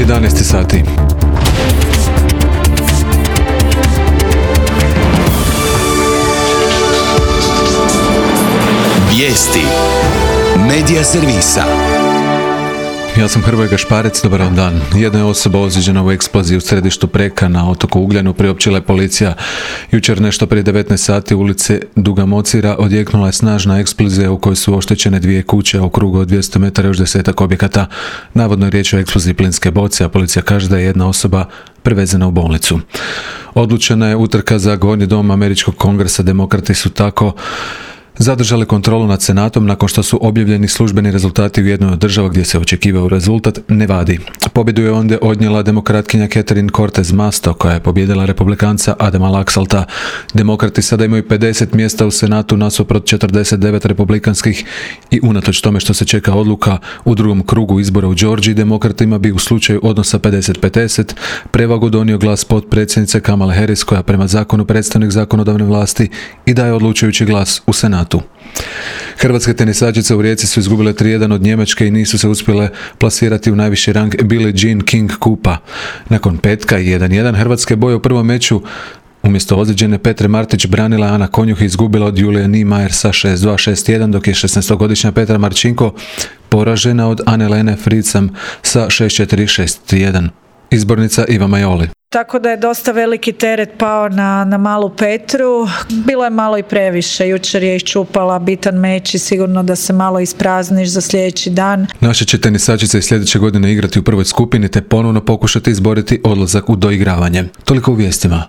11 sati. Vijesti Medija servisa. Ja sam Hrvoje Gašparec, dobar vam dan. Jedna je osoba ozlijeđena u eksploziji u središtu Preka na otoku Ugljanu, priopćila je policija. Jučer nešto prije 19 sati ulice Duga Mocira odjeknula je snažna eksplozija u kojoj su oštećene 2 kuće, a u krugu od 200 metara još 10-ak objekata. Navodno je riječ o eksploziji plinske boce, a policija kaže da je jedna osoba prevezena u bolnicu. Odlučena je utrka za Gornji dom Američkog kongresa. Demokrati su tako zadržali kontrolu nad Senatom nakon što su objavljeni službeni rezultati u jednoj od država gdje se očekivao rezultat, Nevadi. Pobjedu je onda odnijela demokratkinja Catherine Cortez Masto, koja je pobijedila republikanca Adama Laxalta. Demokrati sada imaju 50 mjesta u Senatu nasuprot 49 republikanskih i unatoč tome što se čeka odluka u drugom krugu izbora u Georgiji, demokratima bi u slučaju odnosa 50-50 prevagu donio glas potpredsjednice Kamale Harris, koja prema zakonu predstavnik zakonodavne vlasti i daje odlučujući glas u Senatu. Hrvatske tenisačice u Rijeci su izgubile 3-1 od Njemačke i nisu se uspjele plasirati u najviši rang Billie Jean King kupa. Nakon petka i 1-1 hrvatske boje u prvom meču umjesto ozlijeđene Petre Martić branila Ana Konjuh i izgubila od Julije Niemeyer sa 6-2, 6-1, dok je 16-godišnja Petra Marčinko poražena od Anne-Lene Fricam sa 6-4, 6-1. Izbornica Iva Majoli. Tako da je dosta veliki teret pao na malu Petru. Bilo je malo i previše. Jučer je iščupala bitan meč i sigurno da se malo isprazniš za sljedeći dan. Naše će tenisačice i sljedeće godine igrati u prvoj skupini te ponovno pokušati izboriti odlazak u doigravanje. Toliko u vijestima.